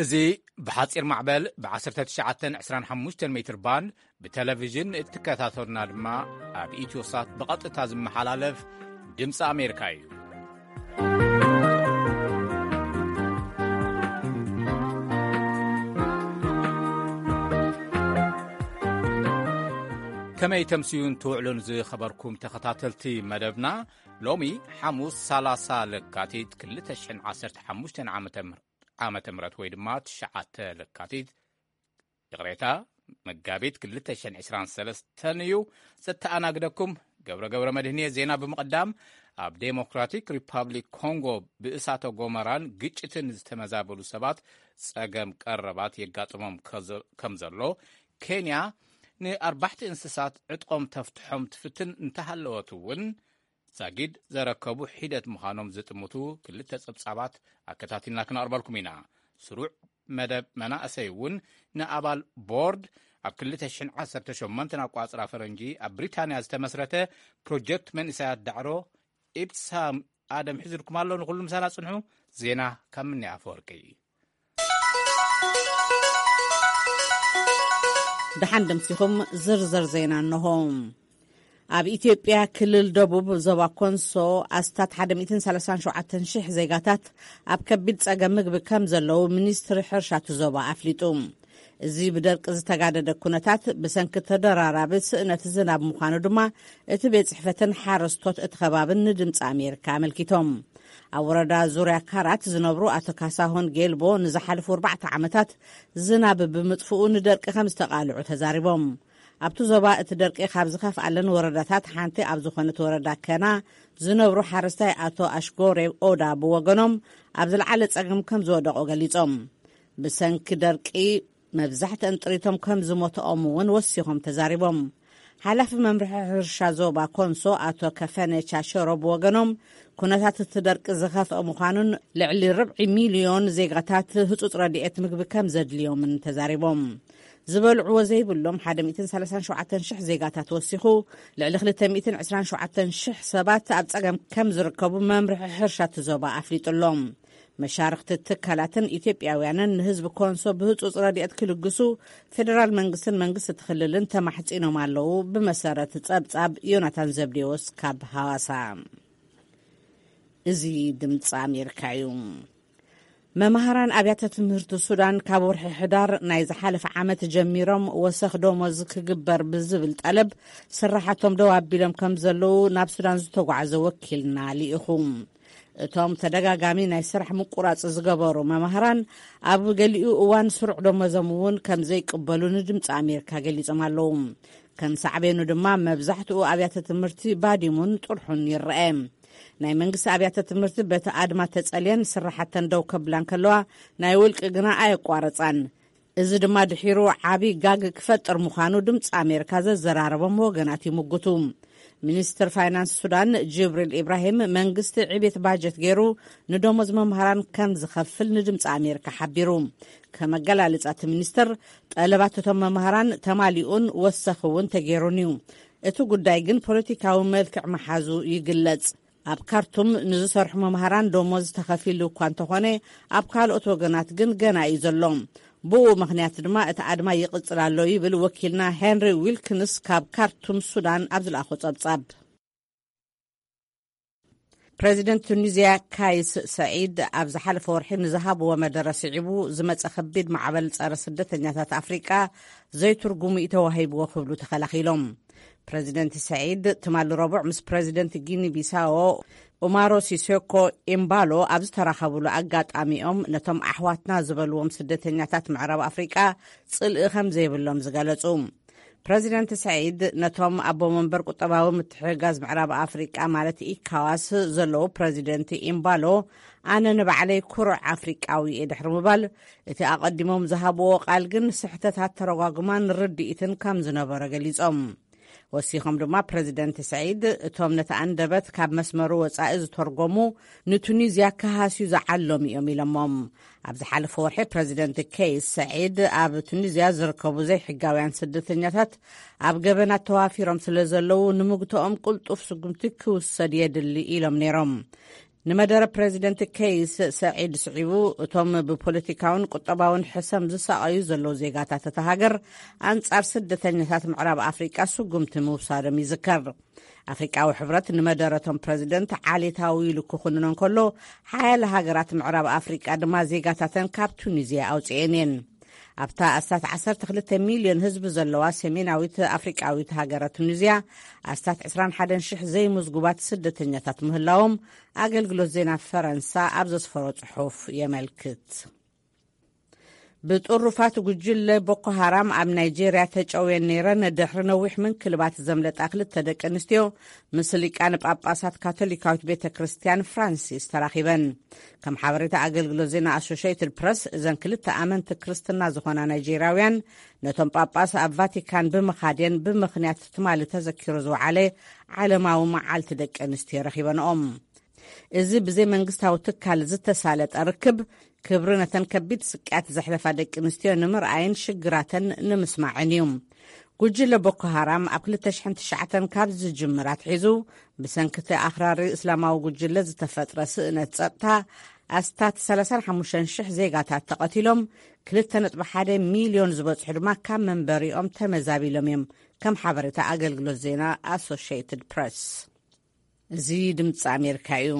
እዚ ብሓጺር ማዕበል ብ19 25 ሜትር ባንድ ብቴሌቪዥን እትከታተሉና ድማ ኣብ ኢትዮሳት ብቐጥታ ዝመሓላለፍ ድምፂ ኣሜሪካ እዩ። ከመይ ተምስዩን ትውዕሉን ዝኸበርኩም ተኸታተልቲ መደብና፣ ሎሚ ሓሙስ 30 ለካቲት 2015 ዓመተ ምህረት ዓመተ ምህረት ወይ ድማ ትሽዓተ ለካቲት፣ ይቕሬታ፣ መጋቢት 2023 እዩ። ዘተኣናግደኩም ገብረ ገብረ መድህንየ። ዜና ብምቕዳም፣ ኣብ ዴሞክራቲክ ሪፓብሊክ ኮንጎ ብእሳተ ጎመራን ግጭትን ዝተመዛበሉ ሰባት ጸገም ቀረባት የጋጥሞም ከዘ-፣ ከም ዘሎ፣ ኬንያ ንኣርባሕቲ እንስሳት ዕጥቆም ተፍትሖም ትፍትን እንተሃለወት እውን፣ ዛጊድ ዘረከቡ ሒደት ምዃኖም ዝጥምቱ ክልተ ጸብጻባት ኣከታቲልና ክነቕርበልኩም ኢና። ስሩዕ መደብ መናእሰይ እውን ንኣባል ቦርድ ኣብ 2018 ኣቋጽራ ፈረንጂ ኣብ ብሪታንያ ዝተመስረተ ፕሮጀክት መንእሰያት ዳዕሮ ኢብሳም ኣደም ሒዙልኩም ኣሎ። ንኹሉ ምሳና ጽንሑ። ዜና ካብ ምኒ ኣፈወርቂ። ደሓን ደምሲኹም። ዝርዝር ዜና እንሆ። ኣብ ኢትዮጵያ ክልል ደቡብ ዞባ ኮንሶ ኣስታት 137,000 ዜጋታት ኣብ ከቢድ ጸገም ምግቢ ከም ዘለዉ ሚኒስትሪ ሕርሻ እቲ ዞባ ኣፍሊጡ። እዚ ብደርቂ ዝተጋደደ ኩነታት ብሰንኪ ተደራራቢ ስእነት ዝናብ ምዃኑ ድማ እቲ ቤት ጽሕፈትን ሓረስቶት እቲ ከባብን ንድምፂ ኣሜሪካ ኣመልኪቶም። ኣብ ወረዳ ዙርያ ካራት ዝነብሩ ኣቶ ካሳሁን ጌልቦ ንዝሓለፉ ኣርባዕተ ዓመታት ዝናብ ብምጥፍኡ ንደርቂ ከም ዝተቓልዑ ተዛሪቦም። ኣብቲ ዞባ እቲ ደርቂ ካብ ዝኸፍኣለን ወረዳታት ሓንቲ ኣብ ዝኾነት ወረዳ ከና ዝነብሩ ሓረስታይ ኣቶ ኣሽጎሬ ኦዳ ብወገኖም ኣብ ዝለዓለ ጸገም ከም ዝወደቑ ገሊጾም። ብሰንኪ ደርቂ መብዛሕትአን ጥሪቶም ከም ዝሞትኦም እውን ወሲኾም ተዛሪቦም። ሓላፊ መምርሒ ሕርሻ ዞባ ኮንሶ ኣቶ ከፈነ ቻሸሮ ብወገኖም፣ ኩነታት እቲ ደርቂ ዝኸፍአ ምዃኑን ልዕሊ ርብዒ ሚልዮን ዜጋታት ህጹጽ ረድኤት ምግቢ ከም ዘድልዮምን ተዛሪቦም። ዝበልዕዎ ዘይብሎም 137,000 ዜጋታት ወሲኹ፣ ልዕሊ 227,000 ሰባት ኣብ ጸገም ከም ዝርከቡ መምርሒ ሕርሻ እቲ ዞባ ኣፍሊጡ ኣሎ። መሻርኽቲ ትካላትን ኢትዮጵያውያንን ንህዝቢ ኮንሶ ብህጹጽ ረድኤት ክልግሱ ፌደራል መንግስትን መንግስቲ እቲ ክልልን ተማሕጺኖም ኣለዉ። ብመሰረት ጸብጻብ ዮናታን ዘብዴዎስ ካብ ሃዋሳ። እዚ ድምፂ ኣሜሪካ እዩ። መምሃራን ኣብያተ ትምህርቲ ሱዳን ካብ ወርሒ ሕዳር ናይ ዝሓለፈ ዓመት ጀሚሮም ወሰኽ ደሞዝ ክግበር ብዝብል ጠለብ ስራሓቶም ደው ኣቢሎም ከም ዘለዉ ናብ ሱዳን ዝተጓዓዘ ወኪልና ልኢኹ። እቶም ተደጋጋሚ ናይ ስራሕ ምቁራጽ ዝገበሩ መምሃራን ኣብ ገሊኡ እዋን ስሩዕ ደሞዞም እውን ከም ዘይቅበሉ ንድምፂ ኣሜሪካ ገሊጾም ኣለዉ። ከም ሳዕቤኑ ድማ መብዛሕትኡ ኣብያተ ትምህርቲ ባዲሙን ጥርሑን ይረአ። ናይ መንግስቲ ኣብያተ ትምህርቲ በቲ ኣድማ ተጸልየን ስራሓተን ደው ከብላ እንከለዋ፣ ናይ ውልቂ ግና ኣየቋረጻን። እዚ ድማ ድሒሩ ዓቢ ጋግ ክፈጥር ምዃኑ ድምፂ ኣሜሪካ ዘዘራረቦም ወገናት ይምጉቱ። ሚኒስትር ፋይናንስ ሱዳን ጅብሪል ኢብራሂም መንግስቲ ዕቤት ባጀት ገይሩ ንደሞዝ መምሃራን ከም ዝኸፍል ንድምፂ ኣሜሪካ ሓቢሩ። ከመገላልጻ እቲ ሚኒስትር፣ ጠለባት እቶም መምሃራን ተማሊኡን ወሰኽ እውን ተገይሩን እዩ። እቲ ጉዳይ ግን ፖለቲካዊ መልክዕ መሓዙ ይግለጽ። ኣብ ካርቱም ንዝሰርሑ መምሃራን ደሞዝ ተኸፊሉ እኳ እንተኾነ፣ ኣብ ካልኦት ወገናት ግን ገና እዩ ዘሎ። ብኡ ምኽንያት ድማ እቲ ኣድማ ይቕጽል ኣሎ ይብል ወኪልና ሄንሪ ዊልክንስ ካብ ካርቱም ሱዳን ኣብ ዝለኣኾ ጸብጻብ። ፕሬዚደንት ቱኒዝያ ካይስ ሰዒድ ኣብ ዝሓለፈ ወርሒ ንዝሃብዎ መደረ ስዒቡ ዝመጸ ከቢድ ማዕበል ጸረ ስደተኛታት ኣፍሪቃ ዘይትርጉሙ እዩ ተዋሂብዎ ክብሉ ተኸላኺሎም። ፕሬዚደንት ሰዒድ ትማሊ ረቡዕ ምስ ፕሬዚደንት ጊኒ ቢሳዎ ኡማሮ ሲሶኮ ኤምባሎ ኣብ ዝተራኸብሉ ኣጋጣሚኦም ነቶም ኣሕዋትና ዝበልዎም ስደተኛታት ምዕራብ ኣፍሪቃ ጽልኢ ከም ዘይብሎም ዝገለጹ። ፕሬዚደንት ሰዒድ ነቶም ኣቦ መንበር ቁጠባዊ ምትሕግጋዝ ምዕራብ ኣፍሪቃ ማለት ኢካዋስ ዘለዉ ፕሬዚደንት ኤምባሎ፣ ኣነ ንባዕለይ ኩሩዕ ኣፍሪቃዊ እየ ድሕሪ ምባል፣ እቲ ኣቐዲሞም ዝሃብዎ ቃል ግን ስሕተታት ተረጓጉማን ርድኢትን ከም ዝነበሮ ገሊጾም። ወሲኾም ድማ ፕሬዚደንት ሰዒድ እቶም ነቲ ኣንደበት ካብ መስመሩ ወጻኢ ዝተርጎሙ ንቱኒዝያ ክሃስዩ ዝዓለሙ እዮም ኢሎሞም። ኣብ ዝሓለፈ ወርሒ ፕሬዚደንት ከይስ ሰዒድ ኣብ ቱኒዝያ ዝርከቡ ዘይሕጋውያን ስደተኛታት ኣብ ገበናት ተዋፊሮም ስለ ዘለዉ ንምግትኦም ቅልጡፍ ስጉምቲ ክውሰድ የድሊ ኢሎም ነይሮም። ንመደረ ፕረዚደንት ከይስ ሰዒድ ስዒቡ፣ እቶም ብፖለቲካውን ቁጠባውን ሕሰም ዝሳቐዩ ዘለዉ ዜጋታት እታ ሃገር ኣንጻር ስደተኛታት ምዕራብ ኣፍሪቃ ስጉምቲ ምውሳዶም ይዝከር። ኣፍሪቃዊ ሕብረት ንመደረቶም ፕረዚደንት ዓሌታዊ ኢሉ ክኹንኖ እንከሎ፣ ሓያለ ሃገራት ምዕራብ ኣፍሪቃ ድማ ዜጋታተን ካብ ቱኒዝያ ኣውጽኤን እየን። ኣብታ ኣስታት ዓሰርተ ክልተ ሚልዮን ህዝቢ ዘለዋ ሰሜናዊት ኣፍሪቃዊት ሃገረ ቱኒዝያ፣ ኣስታት ዕስራን ሓደን ሽሕ ዘይምዝጉባት ስደተኛታት ምህላዎም ኣገልግሎት ዜና ፈረንሳ ኣብ ዘስፈሮ ጽሑፍ የመልክት። ብጥሩፋት ጉጅለ ቦኮ ሃራም ኣብ ናይጄርያ ተጨውየን ነይረን፣ ድሕሪ ነዊሕ ምንክልባት ዘምለጣ ክልተ ደቂ ኣንስትዮ ምስ ሊቃነ ጳጳሳት ካቶሊካዊት ቤተ ክርስቲያን ፍራንሲስ ተራኺበን። ከም ሓበሬታ ኣገልግሎት ዜና ኣሶሽየትድ ፕረስ፣ እዘን ክልተ ኣመንቲ ክርስትና ዝኾና ናይጄርያውያን፣ ነቶም ጳጳስ ኣብ ቫቲካን ብምኻድየን ብምኽንያት ትማሊ ተዘኪሩ ዝወዓለ ዓለማዊ መዓልቲ ደቂ ኣንስትዮ ረኺበንኦም። እዚ ብዘይ መንግስታዊ ትካል ዝተሳለጠ ርክብ፣ ክብሪ ነተን ከቢድ ስቅያት ዘሕለፋ ደቂ ኣንስትዮ ንምርኣይን ሽግራተን ንምስማዕን እዩ። ጉጅለ ቦኮ ሃራም ኣብ ክልተ ሽሕን ትሽዓተን ካብ ዝጅምር ኣትሒዙ፣ ብሰንኪ እቲ ኣኽራሪ እስላማዊ ጉጅለ ዝተፈጥረ ስእነት ጸጥታ፣ ኣስታት ሰላሳን ሓሙሽተን ሽሕ ዜጋታት ተቐቲሎም፣ ክልተ ነጥቢ ሓደ ሚልዮን ዝበጽሑ ድማ ካብ መንበሪኦም ተመዛቢሎም እዮም፣ ከም ሓበሬታ ኣገልግሎት ዜና ኣሶሽየትድ ፕረስ። እዚ ድምፂ ኣሜሪካ እዩ።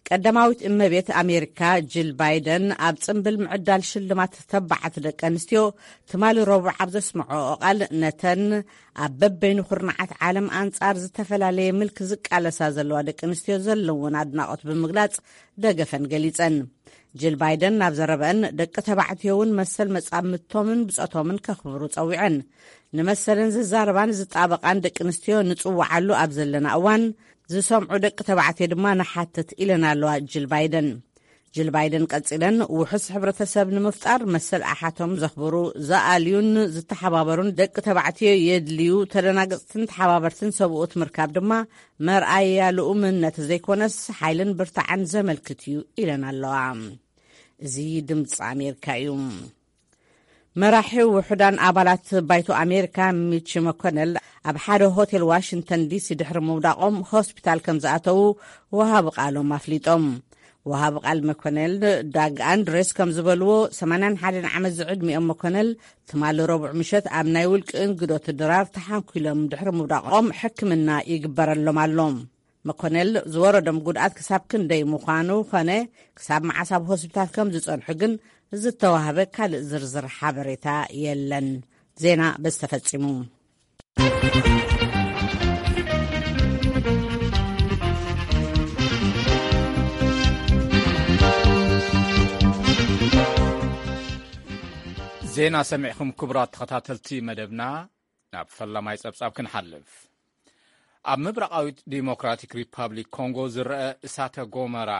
ቀዳማዊት እመቤት ኣሜሪካ ጂል ባይደን ኣብ ጽምብል ምዕዳል ሽልማት ተባዓት ደቂ ኣንስትዮ ትማሊ ረቡዕ ኣብ ዘስምዖ ቃል፣ ነተን ኣብ በበይኑ ኩርናዓት ዓለም ኣንጻር ዝተፈላለየ ምልኪ ዝቃለሳ ዘለዋ ደቂ ኣንስትዮ ዘለውን ኣድናቖት ብምግላጽ ደገፈን ገሊጸን። ጂል ባይደን ናብ ዘረበአን፣ ደቂ ተባዕትዮ እውን መሰል መጻምድቶምን ብጾቶምን ከኽብሩ ጸዊዐን። ንመሰለን ዝዛረባን ዝጣበቓን ደቂ ኣንስትዮ ንጽውዓሉ ኣብ ዘለና እዋን፣ ዝሰምዑ ደቂ ተባዕትዮ ድማ ንሓትት ኢለን ኣለዋ ጂል ባይደን። ጅል ባይደን ቀጺለን፣ ውሑስ ሕብረተሰብ ንምፍጣር መሰል ኣሓቶም ዘኽብሩ፣ ዝኣልዩን ዝተሓባበሩን ደቂ ተባዕትዮ የድልዩ፣ ተደናገጽትን ተሓባበርትን ሰብኡት ምርካብ ድማ መርኣያ ልኡምነት ዘይኮነስ ሓይልን ብርታዕን ዘመልክት እዩ ኢለን ኣለዋ። እዚ ድምፂ ኣሜሪካ እዩ። መራሒ ውሑዳን ኣባላት ባይቶ ኣሜሪካ ሚች መኮነል ኣብ ሓደ ሆቴል ዋሽንግተን ዲሲ ድሕሪ ምውዳቖም ሆስፒታል ከም ዝኣተዉ ወሃቢ ቃሎም ኣፍሊጦም። ወሃቢ ቃል መኮነል ዳግ ኣንድሬስ ከም ዝበልዎ፣ ሰማንያን ሓደን ዓመት ዝዕድሚኦም መኮነል ትማሊ ረቡዕ ምሸት ኣብ ናይ ውልቂ እንግዶት ድራር ተሓንኲሎም ድሕሪ ምውዳቖም ሕክምና ይግበረሎም ኣሎ። መኮነል ዝወረዶም ጉድኣት ክሳብ ክንደይ ምዃኑ ኾነ ክሳብ መዓስ ኣብ ሆስፒታል ከም ዝጸንሑ ግን ዝተዋህበ ካልእ ዝርዝር ሓበሬታ የለን። ዜና በዚ ተፈጺሙ። ዜና ሰሚዕኹም ክቡራት ተኸታተልቲ መደብና፣ ናብ ፈላማይ ጸብጻብ ክንሓልፍ። ኣብ ምብራቓዊት ዲሞክራቲክ ሪፓብሊክ ኮንጎ ዝረአ እሳተ ጎመራ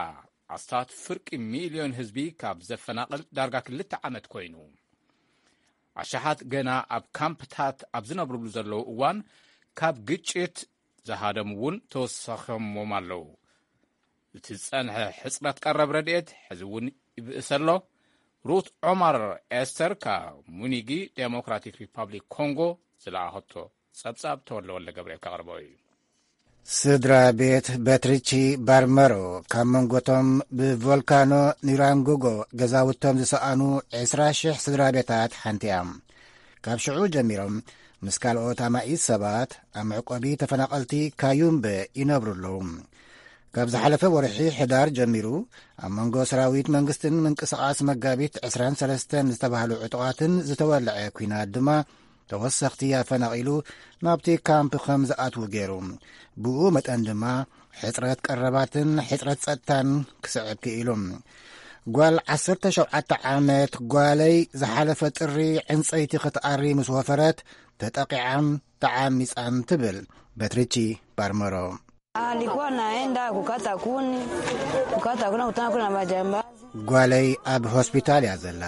ኣስታት ፍርቂ ሚልዮን ህዝቢ ካብ ዘፈናቕል ዳርጋ ክልተ ዓመት ኮይኑ፣ ኣሽሓት ገና ኣብ ካምፕታት ኣብ ዝነብርሉ ዘለዉ እዋን፣ ካብ ግጭት ዝሃደሙ እውን ተወሰኸሞም ኣለዉ። እቲ ዝጸንሐ ሕጽረት ቀረብ ረድኤት ሕዚ እውን ይብእስ ኣሎ። ሩት ዖማር ኤስተር ካብ ሙኒጊ ዴሞክራቲክ ሪፓብሊክ ኮንጎ ዝለኣኸቶ ጸብጻብ ተወልደ ወልደ ገብርኤል ከቕርቦ እዩ። ስድራ ቤት በትሪቺ ባርመሮ ካብ መንጎቶም ብቮልካኖ ኒራንጉጎ ገዛውቶም ዝሰኣኑ ዕስራ ሽሕ ስድራ ቤታት ሓንቲ እያ። ካብ ሽዑ ጀሚሮም ምስ ካልኦት ኣማኢት ሰባት ኣብ መዕቆቢ ተፈናቐልቲ ካዩምበ ይነብሩ ኣለዉ። ካብ ዝሓለፈ ወርሒ ሕዳር ጀሚሩ ኣብ መንጎ ሰራዊት መንግስትን ምንቅስቓስ መጋቢት ዕስራን ሰለስተን ዝተባህሉ ዕጡቓትን ዝተወልዐ ኲናት ድማ ተወሰኽቲ ኣፈናቒሉ ናብቲ ካምፕ ከም ዝኣትዉ ገይሩ። ብኡ መጠን ድማ ሕጽረት ቀረባትን ሕጽረት ጸጥታን ክስዕብ ክኢሉ። ጓል ዓሰርተ ሸውዓተ ዓመት ጓለይ ዝሓለፈ ጥሪ ዕንጸይቲ ክትኣሪ ምስ ወፈረት ተጠቒዓን ተዓሚጻን ትብል በትሪቺ ባርመሮ። Alikuwa naenda kukata kuni, kukata kuna kutana kuna majamba. ጓለይ ኣብ ሆስፒታል እያ ዘላ።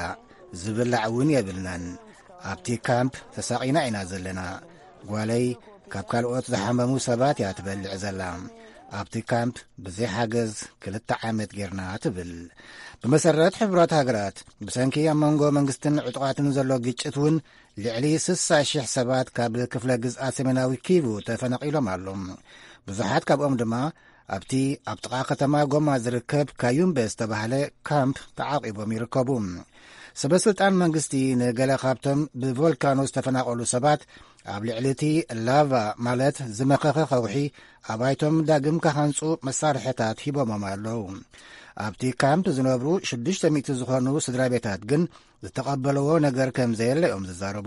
ዝብላዕ እውን የብልናን። ኣብቲ ካምፕ ተሳቒና ኢና ዘለና። ጓለይ ካብ ካልኦት ዝሓመሙ ሰባት እያ ትበልዕ ዘላ። ኣብቲ ካምፕ ብዘይ ሓገዝ ክልተ ዓመት ጌርና ትብል። ብመሰረት ሕቡራት ሃገራት፣ ብሰንኪ ኣብ መንጎ መንግስትን ዕጡቓትን ዘሎ ግጭት እውን ልዕሊ ስሳ ሽሕ ሰባት ካብ ክፍለ ግዝኣት ሰሜናዊ ኪቩ ተፈናቒሎም ኣለዉ። ብዙሓት ካብኦም ድማ ኣብቲ ኣብ ጥቓ ከተማ ጎማ ዝርከብ ካዩምበ ዝተባህለ ካምፕ ተዓቂቦም ይርከቡ። ሰበ ስልጣን መንግስቲ ንገለ ካብቶም ብቮልካኖ ዝተፈናቐሉ ሰባት ኣብ ልዕሊ እቲ ላቫ ማለት ዝመኸኸ ከውሒ ኣባይቶም ዳግም ክሃንጹ መሳርሕታት ሂቦሞም ኣለዉ። ኣብቲ ካምፕ ዝነብሩ ሽዱሽተ ሚእቲ ዝኾኑ ስድራ ቤታት ግን ዝተቐበለዎ ነገር ከም ዘየለ እዮም ዝዛረቡ።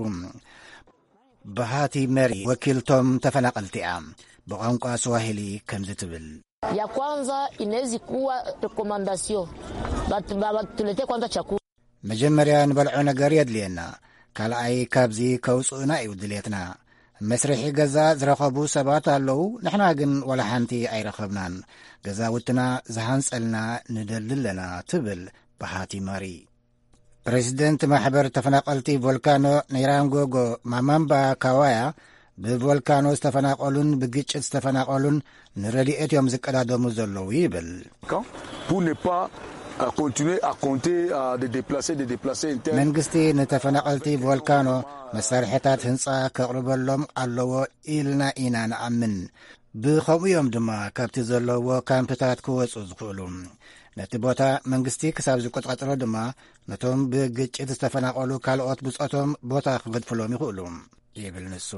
ብሃቲ መሪ ወኪልቶም ተፈናቐልቲ እያ። ብቋንቋ ስዋሂሊ ከምዚ ትብል። Ya kwanza inawezi kuwa recommendation. But, but, but, tuletee kwanza chakula. መጀመርያ ንበልዖ ነገር የድልየና፣ ካልኣይ ካብዚ ከውፅኡና እዩ ድሌትና። መስርሒ ገዛ ዝረኸቡ ሰባት ኣለዉ፣ ንሕና ግን ዋላ ሓንቲ ኣይረኸብናን። ገዛውትና ዝሃንፀልና ንደሊ ኣለና፣ ትብል ብሃቲ መሪ። ፕሬዚደንት ማሕበር ተፈናቐልቲ ቮልካኖ ኒራንጎጎ ማማምባ ካዋያ፣ ብቮልካኖ ዝተፈናቐሉን ብግጭት ዝተፈናቐሉን ንረድኤት እዮም ዝቀዳደሙ ዘለዉ ይብል። Pour ne pas euh, continuer à compter à des déplacés, des déplacés internes. መንግስቲ ንተፈናቐልቲ ቮልካኖ መሳርሕታት ህንፃ ከቕርበሎም ኣለዎ ኢልና ኢና ንኣምን። ብኸምኡ እዮም ድማ ካብቲ ዘለዎ ካምፕታት ክወፁ ዝኽእሉ። ነቲ ቦታ መንግስቲ ክሳብ ዝቆጻጸሮ ድማ ነቶም ብግጭት ዝተፈናቐሉ ካልኦት ብጾቶም ቦታ ክገድፍሎም ይኽእሉ፣ ይብል ንሱ።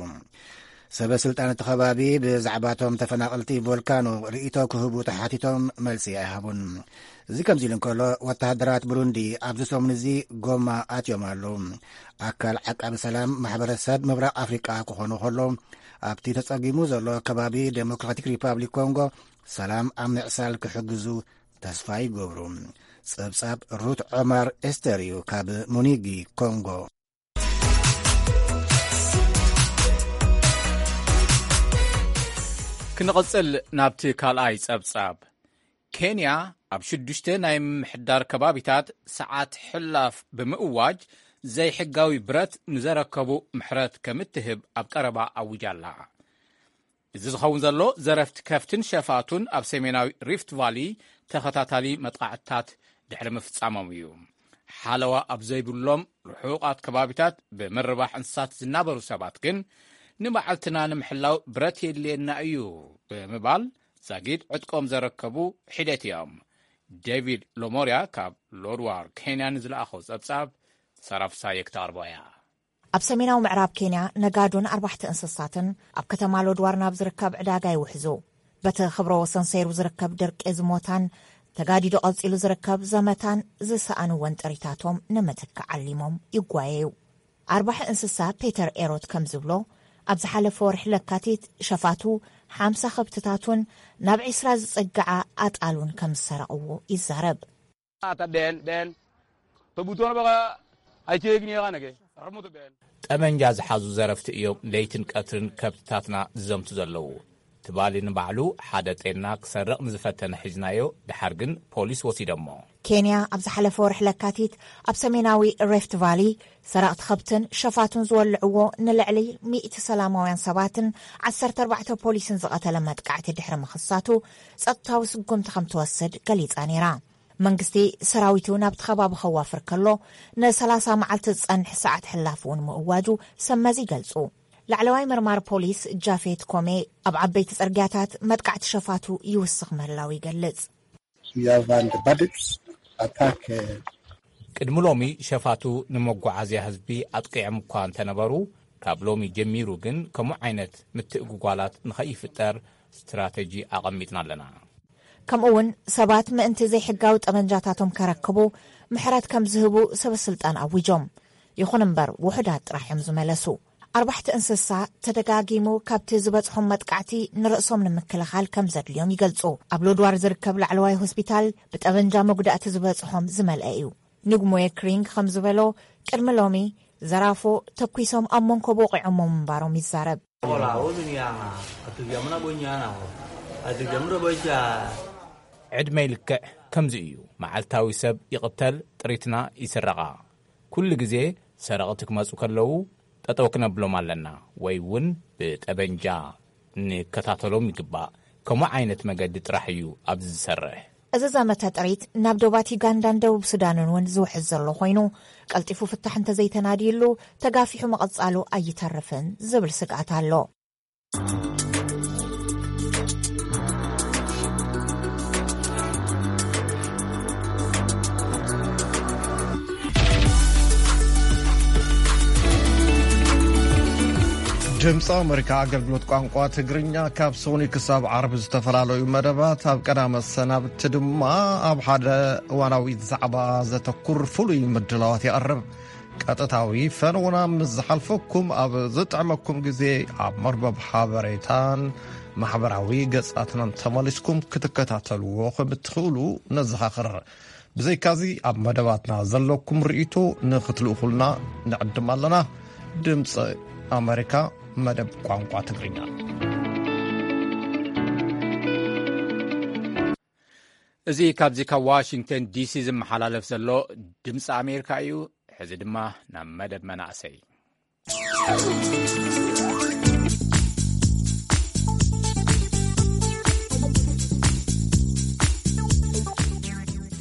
ሰበ ስልጣን እቲ ከባቢ ብዛዕባቶም ተፈናቐልቲ ቮልካኖ ርእይቶ ክህቡ ተሓቲቶም መልሲ ኣይሃቡን። እዚ ከምዚ ኢሉ እንከሎ፣ ወተሃደራት ብሩንዲ ኣብዚ ሰሙን እዚ ጎማ ኣትዮም ኣለዉ። ኣካል ዓቃቢ ሰላም ማሕበረሰብ ምብራቕ ኣፍሪቃ ክኾኑ ከሎ፣ ኣብቲ ተጸጊሙ ዘሎ ከባቢ ዴሞክራቲክ ሪፓብሊክ ኮንጎ ሰላም ኣብ ምዕሳል ክሕግዙ ተስፋ ይገብሩ። ጸብጻብ ሩት ዖማር ኤስተር እዩ ካብ ሙኒጊ ኮንጎ። ክንቕጽል ናብቲ ካልኣይ ጸብጻብ። ኬንያ ኣብ ሽዱሽተ ናይ ምምሕዳር ከባቢታት ሰዓት ሕላፍ ብምእዋጅ ዘይሕጋዊ ብረት ንዘረከቡ ምሕረት ከም እትህብ ኣብ ቀረባ ኣዊጃ ኣላ። እዚ ዝኸውን ዘሎ ዘረፍቲ ከፍትን ሸፋቱን ኣብ ሰሜናዊ ሪፍት ቫሊ ተኸታታሊ መጥቓዕትታት ድሕሪ ምፍጻሞም እዩ። ሓለዋ ኣብ ዘይብሎም ርሑቓት ከባቢታት ብምርባሕ እንስሳት ዝናበሩ ሰባት ግን ንመዓልትና ንምሕላው ብረት የድልየና እዩ ብምባል ዛጊድ ዕጥቆም ዘረከቡ ሒደት እዮም። ዴቪድ ሎሞርያ ካብ ሎድዋር ኬንያ ንዝለኣኸው ጸብጻብ ሰራፍሳየ ክትቐርቦ እያ። ኣብ ሰሜናዊ ምዕራብ ኬንያ ነጋዶን ኣርባሕቲ እንስሳትን ኣብ ከተማ ሎድዋር ናብ ዝርከብ ዕዳጋ ይውሕዙ። በቲ ክብረ ወሰን ሰይሩ ዝርከብ ድርቂ ዝሞታን ተጋዲዶ ቀጺሉ ዝርከብ ዘመታን ዝሰኣንዎን ጥሪታቶም ንምትካእ ዓሊሞም ይጓየዩ። ኣርባሒ እንስሳ ፔተር ኤሮት ከም ዝብሎ፣ ኣብ ዝሓለፈ ወርሒ ለካቲት ሸፋቱ ሓምሳ ከብትታቱን ናብ ዒስራ ዝጸግዓ ኣጣሉን ከም ዝሰረቕዎ ይዛረብ። Ata ben ben to buto na baka ai te gini ga nage ramu to ben. ጠመንጃ ዝሓዙ ዘረፍቲ እዮም ለይትን ቀትርን ከብትታትና ዝዘምቱ ዘለዉ። ትባሊ ንባዕሉ ሓደ ጤልና ክሰርቕ ንዝፈተነ ሒዝናዮ፣ ድሓር ግን ፖሊስ ወሲዶሞ። ኬንያ ኣብ ዝሓለፈ ወርሒ ለካቲት ኣብ ሰሜናዊ ሬፍት ቫሊ ሰረቕቲ ከብትን ሸፋቱን ዝወልዕዎ ንልዕሊ ሚእቲ ሰላማውያን ሰባትን ዓሰርተ ኣርባዕተ ፖሊስን ዝቐተለ መጥቃዕቲ ድሕሪ ምኽሳቱ ጸጥታዊ ስጉምቲ ከም ትወስድ ገሊጻ ነይራ። መንግስቲ ሰራዊቱ ናብቲ ከባቢ ከዋፍር ከሎ ንሰላሳ መዓልቲ ዝጸንሕ ሰዓት ሕላፍ እውን ምእዋጁ ሰመዚ ይገልጹ። ላዕለዋይ መርማር ፖሊስ ጃፌት ኮሜ ኣብ ዓበይቲ ጽርግያታት መጥቃዕቲ ሸፋቱ ይውስኽ ምህላው ይገልጽ። We have had bandits attack uh, ቅድሚ ሎሚ ሸፋቱ ንመጓዓዝያ ህዝቢ ኣጥቂዖም እኳ እንተነበሩ፣ ካብ ሎሚ ጀሚሩ ግን ከምኡ ዓይነት ምትእጉጓላት ንኸይፍጠር ስትራተጂ ኣቐሚጥና ኣለና። ከምኡ እውን ሰባት ምእንቲ ዘይሕጋዊ ጠመንጃታቶም ከረክቡ ምሕረት ከም ዝህቡ ሰበስልጣን ኣዊጆም። ይኹን እምበር ውሑዳት ጥራሕ እዮም ዝመለሱ። ኣርባሕቲ እንስሳ ተደጋጊሙ ካብቲ ዝበጽሖም መጥቃዕቲ ንርእሶም ንምክልኻል ከም ዘድልዮም ይገልጹ። ኣብ ሎድዋር ዝርከብ ላዕለዋይ ሆስፒታል ብጠበንጃ መጉዳእቲ ዝበጽሖም ዝመልአ እዩ። ንግሞየ ክሪንግ ከም ዝበሎ፣ ቅድሚ ሎሚ ዘራፎ ተኲሶም ኣብ መንኮብ ወቒዖሞ ምንባሮም ይዛረብ። ዕድመይ ልክዕ ከምዚ እዩ። መዓልታዊ ሰብ ይቕተል፣ ጥሪትና ይስረቓ። ኩሉ ግዜ ሰረቕቲ ክመጹ ከለዉ ጠጠው ክነብሎም ኣለና፣ ወይ እውን ብጠበንጃ ንከታተሎም ይግባእ። ከምኡ ዓይነት መገዲ ጥራሕ እዩ ኣብዚ ዝሰርሕ። እዚ ዘመተ ጥሪት ናብ ዶባት ዩጋንዳን ደቡብ ሱዳንን እውን ዝውሕዝ ዘሎ ኮይኑ፣ ቀልጢፉ ፍታሕ እንተዘይተናድዩሉ ተጋፊሑ ምቕጻሉ ኣይተርፍን ዝብል ስግኣት ኣሎ። ድምፂ ኣመሪካ ኣገልግሎት ቋንቋ ትግርኛ ካብ ሶኒ ክሳብ ዓርቢ ዝተፈላለዩ መደባት፣ ኣብ ቀዳመ ሰናብቲ ድማ ኣብ ሓደ እዋናዊ ዛዕባ ዘተኩር ፍሉይ ምድላዋት የቕርብ። ቀጥታዊ ፈነውና ምስ ዝሓልፈኩም፣ ኣብ ዝጥዕመኩም ግዜ ኣብ መርበብ ሓበሬታን ማሕበራዊ ገጻትናን ተመሊስኩም ክትከታተልዎ ከም እትኽእሉ ነዘኻኽር። ብዘይካዚ ኣብ መደባትና ዘለኩም ርእይቶ ንኽትልእኹልና ንዕድም ኣለና። ድምፂ ኣመሪካ፣ መደብ ቋንቋ ትግርኛ። እዚ ካብዚ ካብ ዋሽንግተን ዲሲ ዝመሓላለፍ ዘሎ ድምፂ ኣሜሪካ እዩ። ሕዚ ድማ ናብ መደብ መናእሰይ።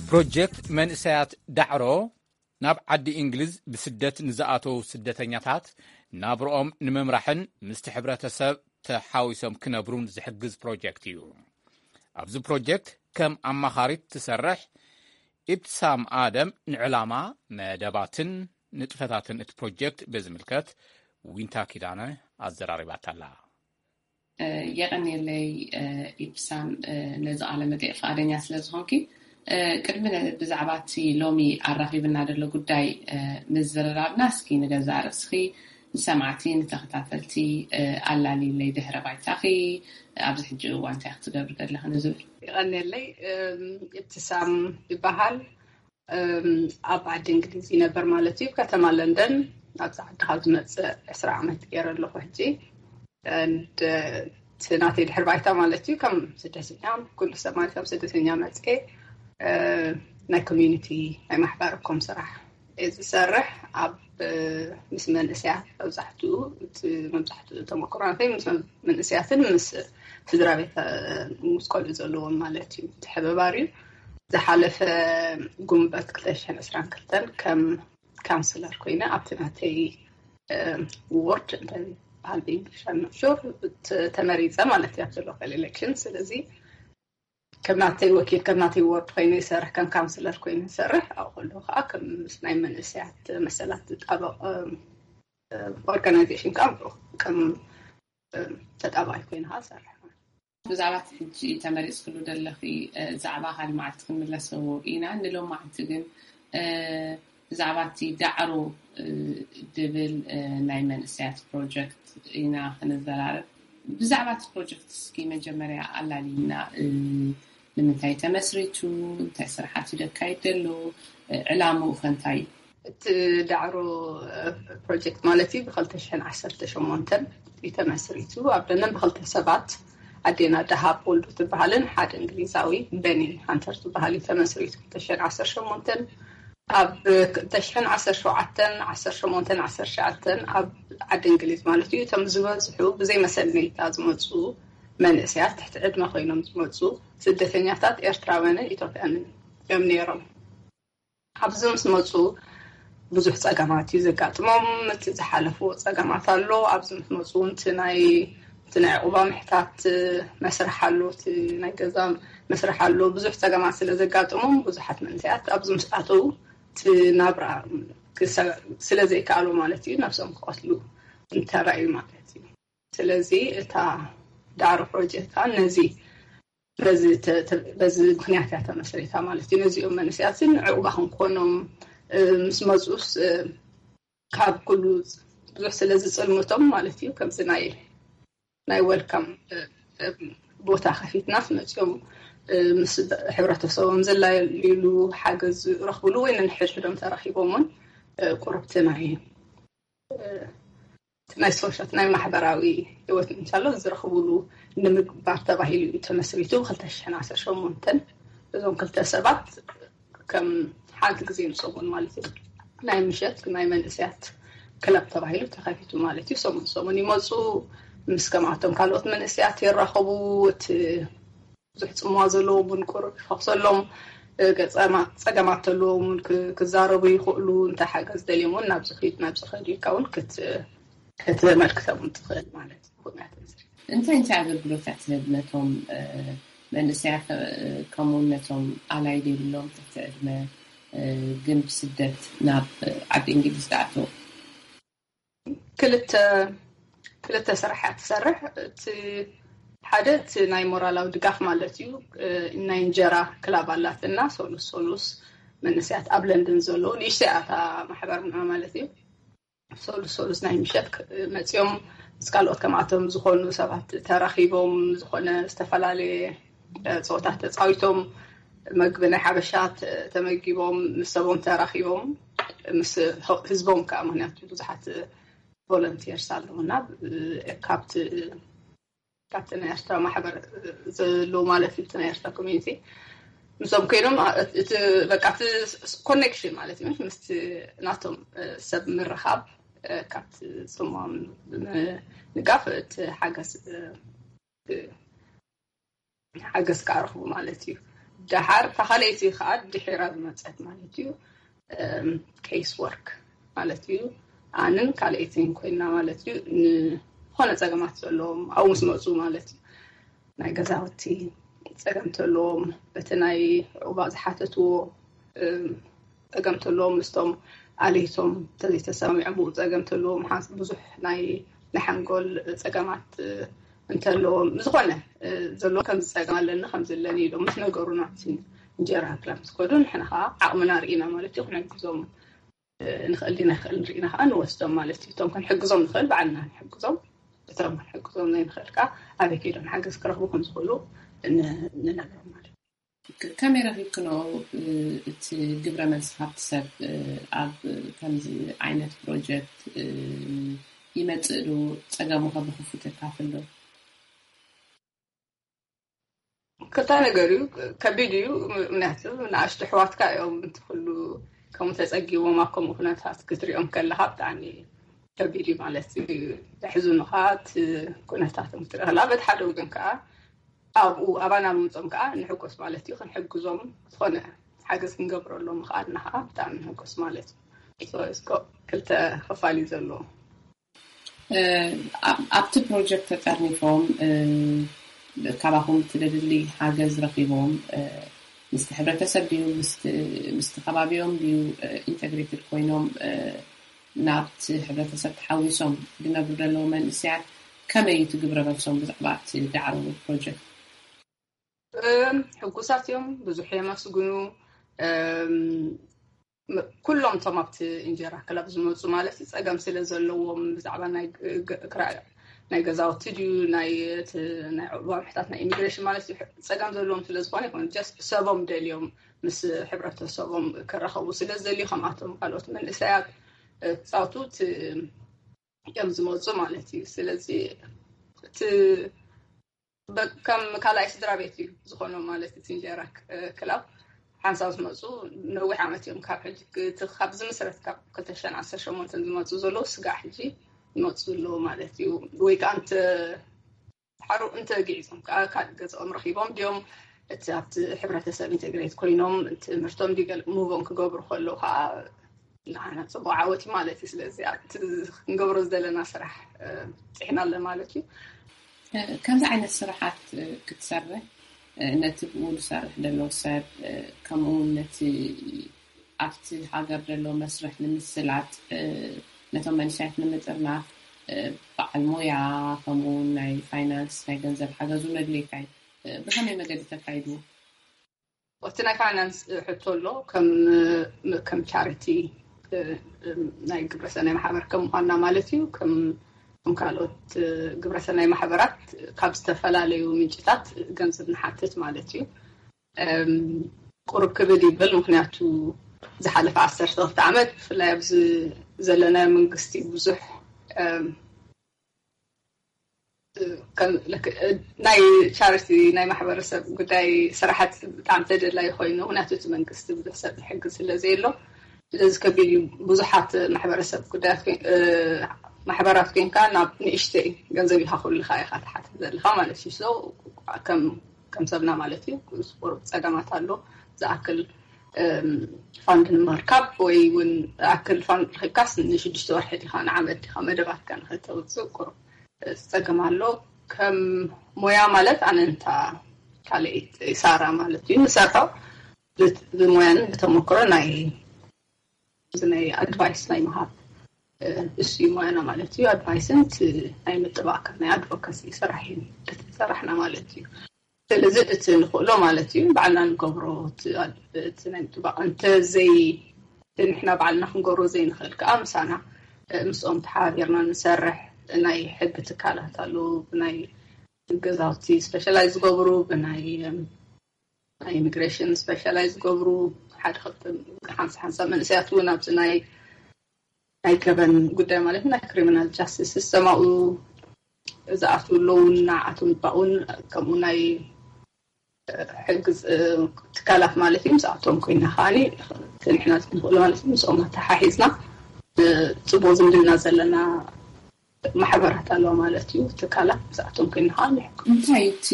ፕሮጀክት መንእሰያት ዳዕሮ ናብ ዓዲ እንግሊዝ ብስደት ንዝኣተዉ ስደተኛታት ናብርኦም ንምምራሕን ምስቲ ሕብረተሰብ ተሓዊሶም ክነብሩን ዝሕግዝ ፕሮጀክት እዩ። ኣብዚ ፕሮጀክት ከም ኣማኻሪት ትሰርሕ ኢብትሳም ኣደም ንዕላማ፣ መደባትን ንጥፈታትን እቲ ፕሮጀክት ብዝምልከት ዊንታ ኪዳነ ኣዘራሪባታላ። የቐንየለይ ኢብትሳም፣ ነዚ ቃለ መጠይቕ ፍቓደኛ ስለ ዝኾንኪ። ቅድሚ ብዛዕባ እቲ ሎሚ ኣራኺብና ዘሎ ጉዳይ ምዝርራብና፣ እስኪ ንገዛእ ርእስኺ ንሰማዕቲ ንተኸታተልቲ ኣላልይለይ፣ ድሕረ ባይታኺ፣ ኣብዚ ሕጂ እዋን እንታይ ክትገብሪ ዘለኺ ንዝብል። የቐንየለይ። ኢብትሳም ይበሃል። ኣብ ዓዲ እንግሊዝ ይነበር ማለት እዩ፣ ከተማ ለንደን። ኣብዚ ዓዲ ካብ ዝመፅእ ዕስራ ዓመት ገይረ ኣለኹ ሕጂ። And እቲ ናተይ ድሕር ባይታ ማለት እዩ ከም ስደተኛ፣ ኩሉ ሰብ ማለት ከም ስደተኛ መፅኤ ናይ ኮሚዩኒቲ ናይ ማሕበረኮም ስራሕ እየ ዝሰርሕ። ኣብ ምስ መንእሰያት መብዛሕትኡ እቲ መብዛሕትኡ ተመክሮ ናተይ ምስ መንእሰያትን ምስ ስድራ ቤት ምስ ቆልዑ ዘለዎም ማለት እዩ ምትሕብባር እዩ። ዝሓለፈ ጉንበት ክልተ ሽሕን ዕስራን ክልተን ከም ካውንስለር ኮይነ ኣብቲ ናተይ ward እንታይ በሃል ብእንግሊሽ I'm not sure ተመሪፀ ማለት እዩ ኣብቲ local election። ስለዚ ከም ናተይ ወኪል ከም ናተይ ward ኮይነ ይሰርሕ፣ ከም ካውንስለር ኮይነ ይሰርሕ። ኣብ ከለኹ ከዓ ከም ምስ ናይ መንእሰያት መሰላት ዝጣበቕ organization ከዓ ከም ተጣባይ ኮይነ ከዓ እሰርሕ ማለት እዩ። ብዛዕባ እቲ ሕጂ ተመሪፅክሉ ዘለኺ ዛዕባ ካልእ መዓልቲ ክንምለሰዎ ኢና። ንሎማዓንቲ ግን ብዛዕባ እቲ ዳዕሮ ድብል ናይ መንእሰያት ፕሮጀክት ኢና ክንዘራረብ። ብዛዕባ እቲ ፕሮጀክት እስኪ መጀመርያ ኣላልይና፣ ንምንታይ ተመስሪቱ፣ እንታይ ስራሓት እዩ ደካይድ ዘሎ፣ ዕላምኡ ከ እንታይ እዩ? እቲ ዳዕሮ ፕሮጀክት ማለት እዩ ብክልተ ሽሕን ዓሰርተ ሸሞንተን እዩ ተመስሪቱ። ኣብ ደንደን ብክልተ ሰባት ኣዴና ደሃብ ወልዱ ትበሃልን ሓደ እንግሊዛዊ በኒ ሃንተር ትበሃል እዩ ተመስሪቱ። ክልተ ሽሕን ዓሰርተ ሸሞንተን ኣብ ክልተ ሽሕን ዓሰርተ ሸውዓተን ዓሰርተ ሸሞንተን ዓሰርተ ትሽዓተን ኣብ ዓዲ እንግሊዝ ማለት እዩ እቶም ዝበዝሑ ብዘይ መሰል ሜታ ዝመፁ መንእሰያት ትሕቲ ዕድመ ኮይኖም ዝመፁ ስደተኛታት ኤርትራውያንን ኢትዮጵያንን እዮም ነይሮም። ኣብዚ ምስ መፁ ብዙሕ ፀገማት እዩ ዘጋጥሞም። እቲ ዝሓለፍዎ ፀገማት ኣሎ። ኣብዚ ምስ መፁ እውን እቲ ናይ እቲ ናይ ዕቑባ ምሕታት መስርሕ ኣሎ፣ እቲ ናይ ገዛ መስርሕ ኣሎ። ብዙሕ ፀገማት ስለ ዘጋጥሞም ብዙሓት መንእሰያት ኣብዚ ምስ ኣተዉ እቲ ናብራ ክሰ- ስለ ዘይከኣሉ ማለት እዩ ነብሶም ክቐትሉ እንተራእዩ ማለት እዩ። ስለዚ እታ ዳዕሮ ፕሮጀክት ከዓ ነዚ በዚ ተ- ተ- በዚ ምክንያት እያ ተመስሪታ ማለት እዩ። ነዚኦም መንእሰያትን ዕቑባ ክንኮኖም ምስ መፁስ ካብ ኩሉ ብዙሕ ስለ ዝፅልምቶም ማለት እዩ። ከምዚ ናይ ናይ ወልካም ቦታ ከፊትናስ መፅኦም ምስ ሕብረተሰቦም ዝላለዩሉ ሓገዝ ዝረኽብሉ ወይ ነንሕድሕዶም ተራኺቦም እውን ቁርብቲ ናይ ናይ ሶሻል ናይ ማሕበራዊ ህይወት እንሻሎ ዝረኽብሉ ንምግባር ተባሂሉ እዩ ተመስሪቱ። ብክልተ ሽሕን ዓሰርተ ሸሞንተን እዞም ክልተ ሰባት ከም ሓንቲ ግዜ ንሰሙን ማለት እዩ ናይ ምሸት ናይ መንእሰያት ክለብ ተባሂሉ ተኸፊቱ ማለት እዩ። ሰሙን ሰሙን ይመፁ ምስ ከምኣቶም ካልኦት መንእሰያት ይራኸቡ። እቲ ብዙሕ ፅምዋ ዘለዎም እውን ቁሩብ ይፈኽሰሎም። ገፀማ- ፀገማት ተለዎም እውን ክ- ክዛረቡ ይኽእሉ። እንታይ ሓገዝ ደልዮም እውን ናብዚ ኺድ ናብዚ ኸድ ኢልካ እውን ክት- ከተመልክቶም እውን ትኽእል ማለት እዩ። እንታይ እንታይ ኣገልግሎታት ትህብ ነቶም መንእሰያት ከምኡውን ነቶም ኣላይ ዘይብሎም ትሕቲ ዕድመ ግን ብስደት ናብ ዓዲ እንግሊዝ ዝኣተው? ክልተ ክልተ ስራሕ እያ ትሰርሕ። እቲ ሓደ እቲ ናይ ሞራላዊ ድጋፍ ማለት እዩ። ናይ እንጀራ ክላብ ኣላትና፣ ሶሉስ ሶሉስ መንእሰያት ኣብ ለንደን ዘለዉ ንእሽተይ እያ እታ ማሕበርና ማለት እዩ። ሶሉስ ሶሉስ ናይ ምሸት መፂኦም ምስ ካልኦት ከምኣቶም ዝኾኑ ሰባት ተራኺቦም ዝኾነ ዝተፈላለየ ፀወታት ተፃዊቶም፣ መግቢ ናይ ሓበሻ ተመጊቦም፣ ምስ ሰቦም ተራኺቦም፣ ምስ ህዝቦም ከዓ፣ ምክንያቱ ብዙሓት ቮለንቲርስ ኣለውና ካብቲ ካብቲ ናይ ኤርትራ ማሕበር ዘለዉ ማለት እዩ። እቲ ናይ ኤርትራ ኮሚኒቲ ምስኦም ኮይኖም እቲ በቃ እቲ ኮኔክሽን ማለት እዩ፣ ምስቲ ናቶም ሰብ ምርኻብ፣ ካብቲ ጽምዋም ንጋፍ እቲ ሓገዝ ሓገዝ ክኣርኹ ማለት እዩ። ደሓር እታ ካልኣይቲ ከዓ ድሒራ ዝመፀት ማለት እዩ። ኬስ ወርክ ማለት እዩ። ኣንን ካልኣይትን ኮይና ማለት እዩ። ንዝኾነ ፀገማት ዘለዎም ኣብኡ ምስ መፁ ማለት እዩ። ናይ ገዛውቲ ፀገም ተለዎም፣ በቲ ናይ ዑባ ዝሓተትዎ ፀገም ተለዎም፣ ምስቶም ኣለይቶም ተዘይተሰማሚዖም ብኡ ፀገም ተለዎም፣ ብዙሕ ናይ ናይ ሓንጎል ፀገማት እንተለዎም፣ ዝኾነ ዘሎ ከም ዝፀገም ኣለኒ ከም ዘለኒ ኢሎም ምስ ነገሩና፣ እንጀራ ክላም ዝከዱ ንሕና ከዓ ዓቕምና ርኢና ማለት እዩ። ክንሕግዞም ንኽእል ዲና ይኽእል ንርኢና ከዓ ንወስዶም ማለት እዩ። እቶም ክንሕግዞም ንኽእል ባዕልና ንሕግዞም፣ እቶም ክንሕግዞም ዘይንኽእል ከዓ ኣበይ ከይዶም ሓገዝ ክረኽቡ ከም ዝኽእሉ ንነግሮም ማለት እዩ። ከመይ ረኺብክንኦ እቲ ግብረ መልሲ ካብቲ ሰብ? ኣብ ከምዚ ዓይነት ፕሮጀክት ይመፅእ ዶ? ፀገሙ ከ ብክፉት የካፍል ዶ? ክልተ ነገር እዩ። ከቢድ እዩ። ምክንያቱ ንኣሽቱ ኣሕዋትካ እዮም እቲ ኩሉ ከምኡ ተፀጊቦም ኣብ ከምኡ ኩነታት ክትሪኦም ከለካ ብጣዕሚ ከቢድ እዩ ማለት እዩ። ዘሕዝኑካ እቲ ኩነታቶም ክትርኢ ከለካ፣ በቲ ሓደ ወገን ከዓ ኣብኡ ኣባና ምምፅኦም ከዓ ንሕጎስ ማለት እዩ። ክንሕግዞም ዝኾነ ሓገዝ ክንገብረሎም ምኽኣልና ከዓ ብጣዕሚ ንሕጎስ ማለት እዩ። So it's got ክልተ ክፋል እዩ ዘለዎ። ኣብቲ ፕሮጀክት ተጠርኒፎም ካባኹም እቲ ደድሊ ሓገዝ ረኺቦም ምስቲ ሕብረተሰብ ድዩ ምስቲ ከባቢኦም ድዩ ኢንተግሬትድ ኮይኖም ናብቲ ሕብረተሰብ ተሓዊሶም ዝነብሩ ዘለዉ መንእሰያት ከመይ እዩ እቲ ግብረ መልሶም ብዛዕባ እቲ ዳዕሮ ፕሮጀክት? ሕጉሳት እዮም፣ ብዙሕ የመስግኑ። ኩሎም እቶም ኣብቲ እንጀራ ክለብ ዝመፁ ማለት እዩ ፀገም ስለ ዘለዎም ብዛዕባ ናይ ገዛውቲ ድዩ ናይ ናይ ዑቅባ ምሕታት ናይ ኢሚግሬሽን ማለት እዩ ፀገም ዘለዎም ስለ ዝኾነ ይኮነ ሰቦም ደልዮም ምስ ሕብረተሰቦም ክራኸቡ ስለ ዝደልዩ ከምኣቶም ካልኦት መንእሰያት ክፃውቱ እዮም ዝመፁ ማለት እዩ። ስለዚ እቲ ከም ካልኣይ ስድራ ቤት እዩ ዝኾኖም ማለት እቲ እንጀራ ክላብ ሓንሳብ ዝመፁ ነዊሕ ዓመት እዮም ካብ ሕጂ ካብ ዝምስረት ካብ ክልተ ሽሕን ዓሰርተ ሸሞንተን ዝመፁ ዘለዉ ስጋዕ ሕጂ ይመፁ ዘለዉ ማለት እዩ። ወይ ከዓ እንተ ሓሩ እንተ ግዒዞም ከዓ ካልእ ገዛኦም ረኺቦም ድዮም እቲ ኣብቲ ሕብረተሰብ ኢንተግሬት ኮይኖም ትምህርቶም ዲገል ሙቮን ክገብሩ ከለዉ ከዓ ንዓና ፅቡቅ ዓወት እዩ ማለት እዩ። ስለዚ ኣብቲ ክንገብሮ ዝደለና ስራሕ ፅሒና ኣለ ማለት እዩ። ከምዚ ዓይነት ስራሓት ክትሰርሕ ነቲ ብኡ ዝሰርሕ ዘሎ ሰብ ከምኡ እውን ነቲ ኣብቲ ሃገር ዘሎ መስርሕ ንምስላጥ ነቶም መንእሰያት ንምጥርናፍ በዓል ሞያ ከምኡ እውን ናይ ፋይናንስ ናይ ገንዘብ ሓገዙ ነድልየካ እዩ። ብኸመይ መገዲ ተካይድዎ? እቲ ናይ ፋይናንስ ሕቶ ኣሎ ከም ቻሪቲ ናይ ግብረሰናይ ማሕበር ከም ምኳንና ማለት እዩ። ከም ካልኦት ግብረሰናይ ማሕበራት ካብ ዝተፈላለዩ ምንጭታት ገንዘብ ንሓትት ማለት እዩ። ቁሩብ ክብድ ይብል ምክንያቱ ዝሓለፈ ዓሰርተ ክልተ ዓመት ብፍላይ ኣብዚ ዘለናዮ መንግስቲ ብዙሕ ናይ ቻሪቲ ናይ ማሕበረሰብ ጉዳይ ስራሕቲ ብጣዕሚ ተደላይ ኮይኑ ምክንያቱ እቲ መንግስቲ ብዙሕ ሰብ ዝሕግዝ ስለ ዘየሎ ስለዚ ከቢድ እዩ። ብዙሓት ማሕበረሰብ ጉዳያት ማሕበራት ኮይንካ ናብ ንእሽተይ ገንዘብ ኢካ ኩልካ ኢካ ትሓትት ዘለካ ማለት እዩ። ከም ሰብና ማለት እዩ ቁሩብ ፀገማት ኣሎ ዝኣክል ፋንድ ንምርካብ ወይ እውን ኣክል ፋንድ ረኪብካስ ንሽዱሽተ ወርሒ ዲካ ንዓመት ዲካ መደባትካ ንክተውፅእ ቁሩብ ፀገም ኣሎ። ከም ሞያ ማለት ኣነ እንታ ካልእ ሳራ ማለት እዩ ንሰርሖ ብሞያን ብተመክሮ ናይ ናይ ኣድቫይስ ናይ ምሃብ እሱ እዩ ሞያና ማለት እዩ። ኣድቫይስን እቲ ናይ ምጥባቅ ናይ ኣድቮካሲ ስራሕ እዩ እቲ ስራሕና ማለት እዩ። ስለዚ እቲ ንኽእሎ ማለት እዩ ባዕልና ንገብሮ እቲ ኣድ- እቲ ናይ ምጥባቅ እንተዘይ ንሕና ባዕልና ክንገብሮ ዘይንኽእል ከዓ ምሳና ምስኦም ተሓባቢርና ንሰርሕ ናይ ሕጊ ትካላት ኣለዉ። ብናይ ገዛውቲ ስፔሻላይዝ ዝገብሩ፣ ብናይ ናይ ኢሚግሬሽን ስፔሻላይዝ ዝገብሩ፣ ሓደ ክልተ ሓንሳ ሓንሳ መንእሰያት እውን ኣብዚ ናይ ናይ ገበን ጉዳይ ማለት ናይ ክሪሚናል ጃስቲስ ዝሰማኡ ዝኣትዉ ኣለዉ። ንዓቶም ባውን ከምኡ ናይ ሕጊ ትካላት ማለት እዩ። ምስኣቶም ኮይና ከዓኒ ንሕና ንኽእሎ ማለት እዩ ምስኦም ኣተሓሒዝና ጽቡቅ ዝምድና ዘለና ማሕበራት ኣለዋ ማለት እዩ። ትካላት ምስኣቶም ኮይና ከዓኒ እንታይ እቲ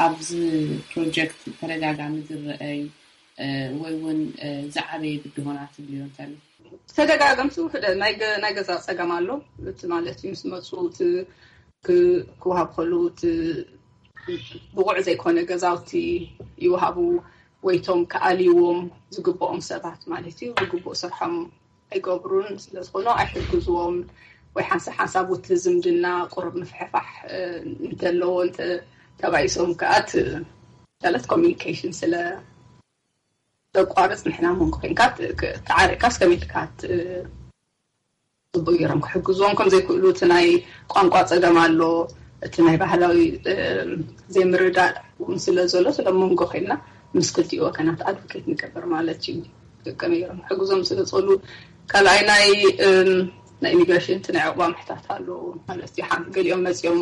ኣብዚ ፕሮጀክት ተደጋጋሚ ዝረአይ ወይ እውን ዝዓበየ ብድሆና ትብልዮ እንተሎ? ተደጋገምቲ ውሕደ ናይ ገ- ናይ ገዛ ጸገም ኣሎ። እቲ ማለት እዩ ምስ መፁ እቲ ክ- ክወሃብ ከሉ እቲ ብቑዕ ዘይኮነ ገዛውቲ ይወሃቡ፣ ወይቶም ክኣልይዎም ዝግብኦም ሰባት ማለት እዩ ዝግብኡ ስርሖም ኣይገብሩን። ስለዝኾኑ ኣይሕግዝዎም ወይ ሓንሳብ ሓንሳብ ውቲ ዝምድና ቁሩብ ምፍሕፋሕ እንተለዎ እንተ ተባኢሶም ከኣ እቲ ማለት ኮሚኒኬሽን ስለ ዘቋርጽ ንሕና መንጎ ኮንካ ተዓሪቅካ እስከመይ ኢልካ ጽቡቅ ገይሮም ክሕግዝዎም ከም ዘይክእሉ እቲ ናይ ቋንቋ ጸገም ኣሎ። እቲ ናይ ባህላዊ ዘይምርዳእ እውን ስለ ዘሎ ስለ መንጎ ኮይና ምስ ክልቲኡ ወገናት ኣድቮኬት ንገብር ማለት እዩ። ከመይ ገይሮም ክሕግዞም ስለ ዝኽእሉ ካልኣይ ናይ ናይ ኢሚግሬሽን እቲ ናይ ዕቁባ ምሕታት ኣሎ ማለት እዩ። ሓንቲ ገሊኦም መጺኦም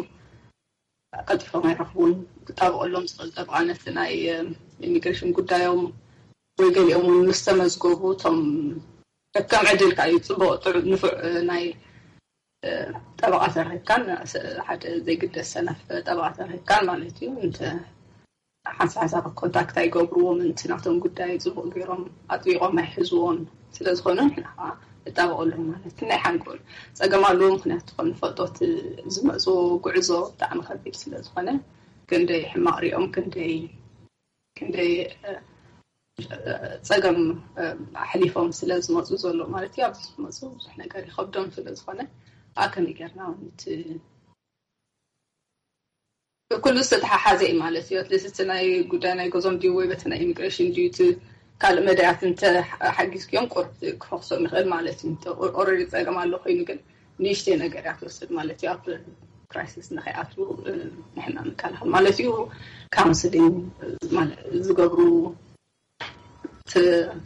ቀልጢፎም ኣይረኽቡን። ክጣበቀሎም ዝኽእል ጠበቃ ነቲ ናይ ኢሚግሬሽን ጉዳዮም ወይ ገሊኦም እውን ምስ ተመዝገቡ እቶም ከም ዕድል ከኣ እዩ ጽቡቅ ጥዑ ንፉዕ ናይ ጠበቃ ተረኪብካን ሓደ ዘይግደስ ሰነፍ ጠበቃ ተረኪብካን ማለት እዩ። እንተ ሓንሳብ ሓንሳብ ኮንታክት ኣይገብርዎም፣ እቲ ናቶም ጉዳይ ጽቡቅ ገይሮም ኣጥቢቆም ኣይሕዝዎን። ስለዝኾነ ንሕና ከዓ ንጣበቀሎም ማለት ናይ ሓንጎል ጸገም ኣለዎ። ምክንያቱ ከም ንፈልጦ እቲ ዝመፁ ጉዕዞ ብጣዕሚ ከቢድ ስለዝኾነ ክንደይ ሕማቅ ሪኦም ክንደይ ክንደይ ጸገም ኣሕሊፎም ስለ ዝመፁ ዘሎ ማለት እዩ። ኣብዚ ዝመፁ ብዙሕ ነገር ይኸብዶም ስለ ዝኾነ ኣከመይ ጌርና እቲ ኩሉ ዝተተሓሓዘ እዩ ማለት እዩ። ኣትሊስት እቲ ናይ ጉዳይ ናይ ገዞም ድዩ ወይ በቲ ናይ ኢሚግሬሽን ድዩ እቲ ካልእ መዳያት እንተ ሓጊዝክዮም ቁርብ ክፈክሶም ይኽእል ማለት እዩ። ኦረዲ ጸገም ኣሎ ኮይኑ ግን ንእሽተይ ነገር እያ ትወስድ ማለት እዩ። ኣብ ክራይሲስ ንኸይኣትዉ ንሕና ንከላኸል ማለት እዩ። ካውንስሊንግ ዝገብሩ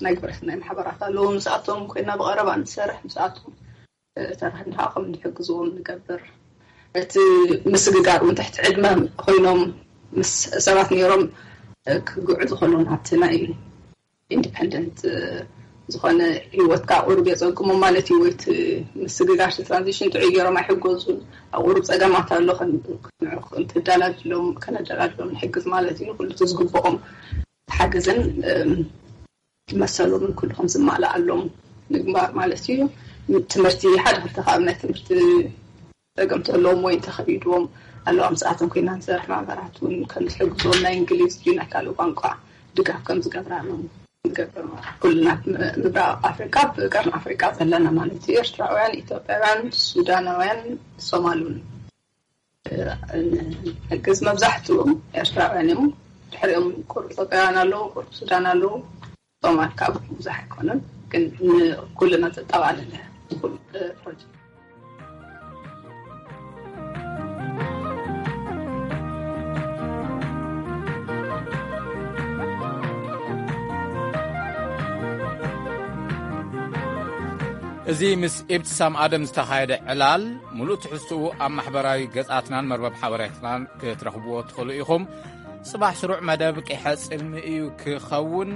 ናይ ግብረሰናይ ማሕበራት ኣለዉ። ምስኣቶም ኮይና ብቐረባ ንሰርሕ ምስኣቶም ተራህና ከም ንሕግዝዎም ንገብር። እቲ ምስግጋር እውን ትሕቲ ዕድመ ኮይኖም ምስ ሰባት ነይሮም ክግዕዙ ከለዉ ናብቲ ናይ ኢንዲፐንደንት ዝኾነ ህይወትካ ቁሩብ የፀግሙ ማለት እዩ። ወይቲ ምስግጋር ትራንዚሽን ጥዑይ ገይሮም ኣይሕገዙን። ኣብ ቁሩብ ፀገማት ኣሎ ከደላድሎም ከነደላድሎም ንሕግዝ ማለት እዩ። ኩሉ ዝግብኦም ሓገዝን መሰሎምን ኩሉ ከም ዝማልኣሎም ምግባር ማለት እዩ። ትምህርቲ ሓደ ክልተ ካብ ናይ ትምህርቲ ፀገም ተለዎም ወይ እንተኸቢድዎም ኣለዋ ምስኣቶም ኮይና ንሰርሕ ማህበራት እውን ከም ዝሕግዝዎም ናይ እንግሊዝ ድዩ ናይ ካልእ ቋንቋ ድጋፍ ከም ዝገብራሎም ንገብር ማለት ኩልና ምብራቕ ኣፍሪካ ብቀርኒ ኣፍሪካ ዘለና ማለት እዩ። ኤርትራውያን፣ ኢትዮጵያውያን፣ ሱዳናውያን፣ ሶማሉን ንሕግዝ። መብዛሕትኡ ኤርትራውያን እዮም። ድሕሪኦም ቁሩብ ኢትዮጵያውያን ኣለዉ፣ ቁሩብ ሱዳን ኣለዉ። ሶማል ካብ ብዙሕ ኣይኮነን ግን ንኩልና ዘጠቓለለ ኩሉ ፕሮጀክት። እዚ ምስ ኢብትሳም ኣደም ዝተኻየደ ዕላል፣ ምሉእ ትሕዝትኡ ኣብ ማሕበራዊ ገጻትናን መርበብ ሓበሬታናን ክትረኽብዎ ትኽእሉ ኢኹም። ጽባሕ ስሩዕ መደብ ቂሐ ጽልሚ እዩ ክኸውን።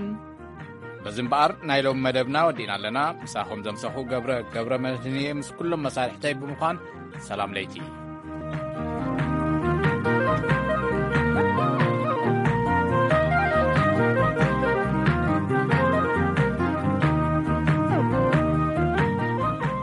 በዚ እምበኣር ናይ ሎም መደብና ወዲእና ኣለና። ምሳኹም ዘምሰኹ ገብረ፣ ገብረ መድህንየ ምስ ኩሎም መሳርሕተይ ብምዃን ሰላም ለይቲ።